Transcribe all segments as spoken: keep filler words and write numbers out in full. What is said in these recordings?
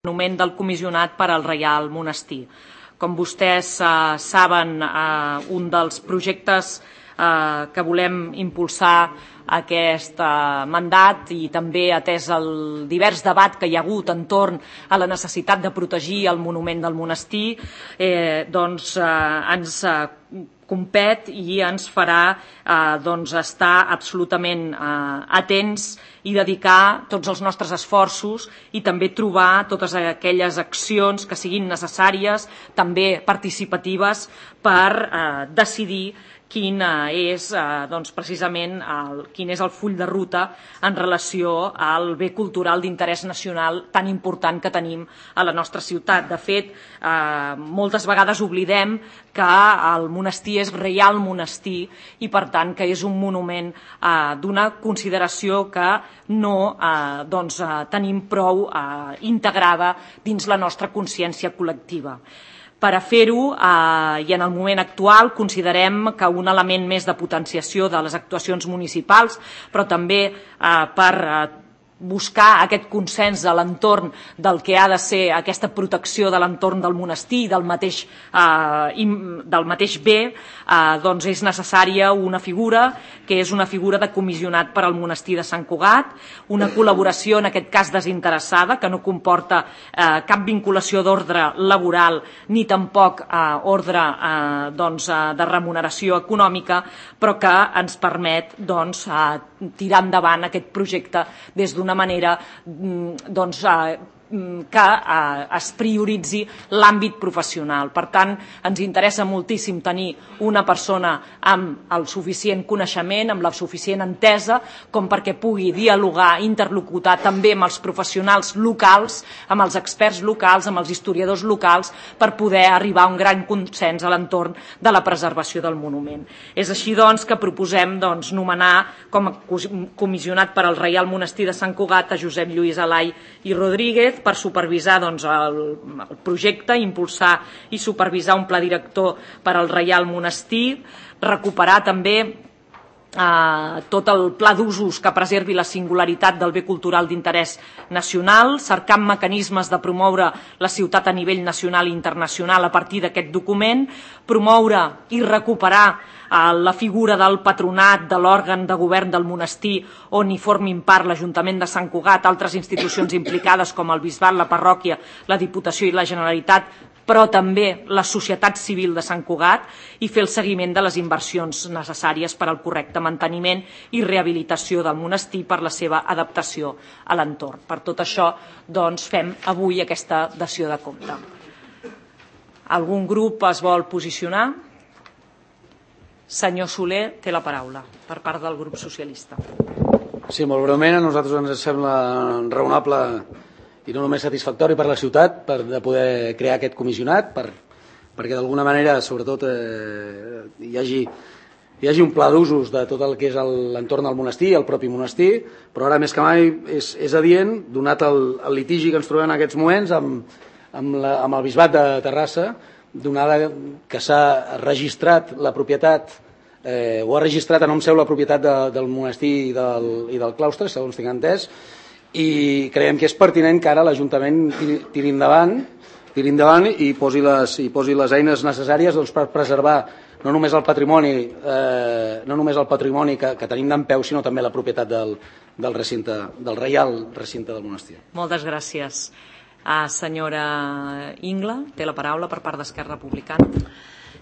monument del comissionat per al Reial Monestir. Com vostès eh, saben, eh, un dels projectes eh, que volem impulsar aquest eh, mandat i també atès el divers debat que hi ha hagut entorn a la necessitat de protegir el monument del monestir, eh, doncs eh, ens eh, compet i ens farà eh, doncs, estar absolutament eh, atents i dedicar tots els nostres esforços i també trobar totes aquelles accions que siguin necessàries, també participatives, per eh, decidir quin és eh, doncs, precisament el, quin és el full de ruta en relació al bé cultural d'interès nacional tan important que tenim a la nostra ciutat. De fet, eh, moltes vegades oblidem que el monestir és reial monestir i, per tant, que és un monument eh, d'una consideració que no eh, doncs, eh, tenim prou eh, integrada dins la nostra consciència col·lectiva. Per a fer-ho, eh, i en el moment actual, considerem que un element més de potenciació de les actuacions municipals, però també eh, per eh, buscar aquest consens a l'entorn del que ha de ser aquesta protecció de l'entorn del monestir i del mateix, eh, del mateix bé, eh, doncs és necessària una figura que és una figura de comissionat per al monestir de Sant Cugat, una col·laboració en aquest cas desinteressada que no comporta eh, cap vinculació d'ordre laboral ni tampoc eh, ordre eh, doncs, eh, de remuneració econòmica, però que ens permet doncs, eh, tirar endavant aquest projecte des d'una manera doncs, que es prioritzi l'àmbit professional. Per tant, ens interessa moltíssim tenir una persona amb el suficient coneixement, amb la suficient entesa, com perquè pugui dialogar, interlocutar també amb els professionals locals, amb els experts locals, amb els historiadors locals, per poder arribar a un gran consens a l'entorn de la preservació del monument. És així, doncs, que proposem doncs, nomenar com a comissionat per al Reial Monestir de Sant Cugat a Josep Lluís Alai i Rodríguez per supervisar doncs, el, el projecte, impulsar i supervisar un pla director per al Reial Monestir, recuperar també eh, tot el pla d'usos que preservi la singularitat del bé cultural d'interès nacional, cercant mecanismes de promoure la ciutat a nivell nacional i internacional a partir d'aquest document, promoure i recuperar la figura del patronat, de l'òrgan de govern del monestir, on hi formin part l'Ajuntament de Sant Cugat, altres institucions implicades com el Bisbat, la parròquia, la Diputació i la Generalitat, però també la societat civil de Sant Cugat, i fer el seguiment de les inversions necessàries per al correcte manteniment i rehabilitació del monestir per la seva adaptació a l'entorn. Per tot això, doncs, fem avui aquesta dació de compte. Algun grup es vol posicionar? Senyor Soler, té la paraula, per part del grup socialista. Sí, molt breument, a nosaltres ens sembla raonable i no només satisfactori per la ciutat per de poder crear aquest comissionat, per, perquè d'alguna manera, sobretot, eh, hi, hagi, hi hagi un pla d'usos de tot el que és l'entorn del monestir, el propi monestir, però ara més que mai és, és adient, donat el, el litigi que ens trobem en aquests moments amb, amb, la, amb el Bisbat de Terrassa, donada que s'ha registrat la propietat eh, o ha registrat a nom seu la propietat de, del monestir i del, i del claustre, segons tinc entès, i creiem que és pertinent que ara l'Ajuntament tiri, tiri endavant tiri endavant i posi les, i posi les eines necessàries doncs, per preservar no només el patrimoni, eh, no només el patrimoni que, que tenim d'en peu, sinó també la propietat del, del recinte, del reial recinte del monestir. Moltes gràcies. Uh, senyora Ingla, té la paraula per part d'Esquerra Republicana.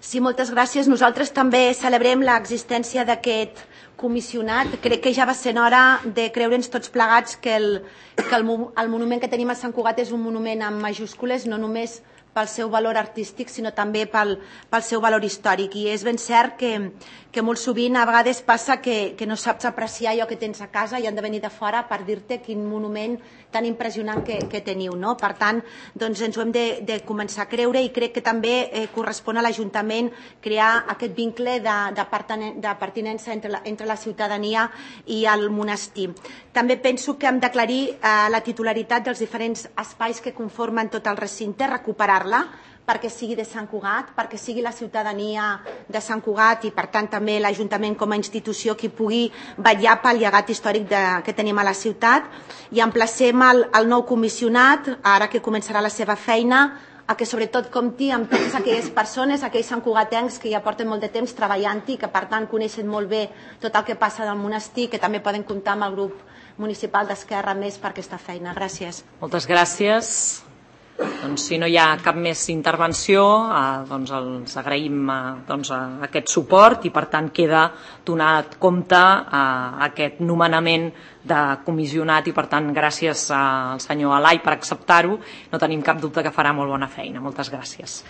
Sí, moltes gràcies. Nosaltres també celebrem l'existència d'aquest comissionat. Crec que ja va ser hora de creure'ns tots plegats que, el, que el, el monument que tenim a Sant Cugat és un monument amb majúscules, no només pel seu valor artístic, sinó també pel, pel seu valor històric. I és ben cert que, que molt sovint a vegades passa que, que no saps apreciar allò que tens a casa i han de venir de fora per dir-te quin monument tan impressionant que, que teniu. No? Per tant, doncs ens ho hem de, de començar a creure i crec que també eh, correspon a l'Ajuntament crear aquest vincle de, de, pertinen, de pertinença entre la, entre la ciutadania i el monestir. També penso que hem d'aclarir eh, la titularitat dels diferents espais que conformen tot el recinte, recuperar impulsar-la perquè sigui de Sant Cugat, perquè sigui la ciutadania de Sant Cugat i, per tant, també l'Ajuntament com a institució que pugui vetllar pel llegat històric de, que tenim a la ciutat. I emplacem el, el nou comissionat, ara que començarà la seva feina, a que sobretot compti amb totes aquelles persones, aquells santcugatencs que ja porten molt de temps treballant-hi, que per tant coneixen molt bé tot el que passa del monestir, que també poden comptar amb el grup municipal d'Esquerra Més per aquesta feina. Gràcies. Moltes gràcies. Doncs, si no hi ha cap més intervenció, eh, doncs els agraïm eh, doncs, aquest suport i per tant queda donat compte a eh, aquest nomenament de comissionat i per tant gràcies al senyor Alai per acceptar-ho. No tenim cap dubte que farà molt bona feina. Moltes gràcies.